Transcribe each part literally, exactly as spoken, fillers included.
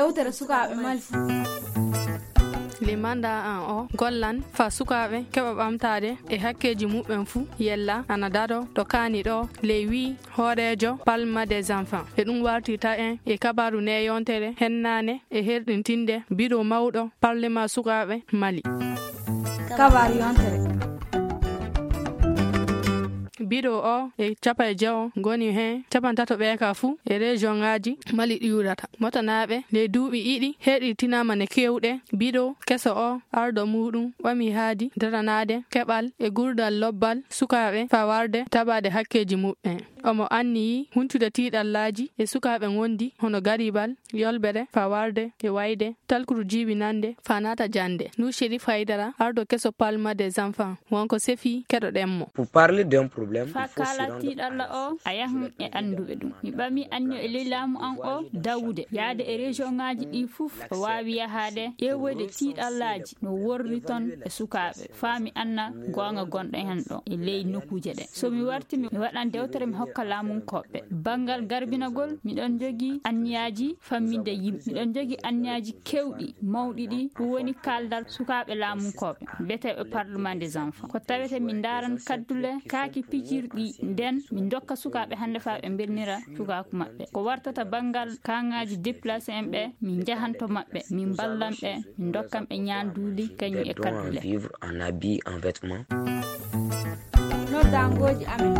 Yewtere sukaaɓe Mali fuu. Limanda an o gollan fa sukaaɓe keɓa ɓamtaade e hakkeeji muɓɓen fuu, yella ana dado to kaani ɗo ley wii hooreejo Palma des Enfants. E ɗum wartirta en e kabaaru nde yontere hennaane e herɗintinde biro mawɗo Parlement sukaaɓe Mali. Kabaaru yontere. Biro o e capa e jewo ngoni hen capantato ɓe ka fuu e région ngaji Mali ɗi wurata. Motanaaɓe ley duuɓi ɗiɗi heɗitinama ne kewɗe. Biro keso o ardo muɗum ɓami haadi daranaade keɓal e gurdal lobbal sukaaɓe fa warde tabaade hakkeeji muɓɓen. Omo anniyi huntude tiiɗallaaji e sukaaɓe ngondi hono garibal, yolbere, fa warde e wayde talkuru jibinande fa naata jannde. Nu Sherif Haydara, ardo keso Palma des Enfants, wonko sefi keɗoɗen mo. Pour parler d'un problème, fa il faut se kala rendre tiiɗalla o a yahan e annduɓe ɗum. Mi ɓami anniyo e ley laamu an o dawude yaade e région ngaji ɗi fuf o waawi yahaade ƴeewoyde tiiɗallaaji no worri ton e sukaaɓe, faa mi anna goonga gonɗo hen ɗo e ley nokkuuje ɗe. So mi warti, mi waɗan dewtere, mi hokka laamunkooɓe. Banngal garbinagol, miɗon jogii anniyaaji famminde yimɓe. Miɗon jogii anniyaaji kewɗi, mawɗi ɗi, ɗum woni kaaldal sukaaɓe laamunkooɓe, biyeteeɓe Parlement des Enfants. Ko tawete min ndaaran kaddule kaaki pijirɗi nden, min ndokka sukaaɓe hannde faa ɓe mbelnira cukaaku maɓɓe. Ko wartata banngal kaŋŋaaji déplacé en ɓe, min njahan to maɓɓe, min mballan ɓe, min ndokkan ɓe ñaanduuli, kañum e kaddule. Vivre en habit, en vêtement. Noddaangooji amen.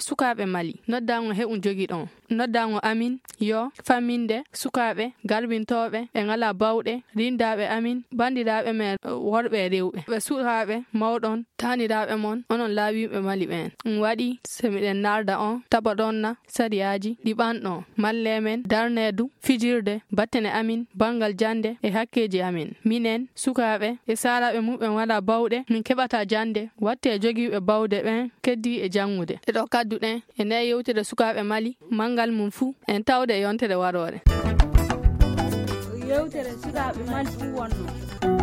Sukaaɓe Mali, noddaango heɓu jogiɗon. Noddaango amin yo famminde sukaaɓe garbintooɓe e ŋalaa bawɗe, rindaaɓe amin, banndiraaɓe men worɓe e rewɓe, ɓe sukaaɓe mawɗon, taaniraaɓe mon, onon laawiiɓe Mali ɓeen. Ɗum waɗi so miɗen narda on taɓoɗonna sariyaaji ɗi ɓanɗon. Malle men darnee du fijirde battane amin banngal jannde e hakkeeji amin. Minen, sukaaɓe e saalaaɓe muɓɓen waɗa bawɗe, min keɓata jannde, wattee jogiiɓe bawɗe ɓeen keddii e janngude. E ɗo kadduɗen e ndee yewtere sukaaɓe Mali, manngal mum fuu en tawde e yontere waroore. Yewtere sukaaɓe Mali fuu wonno.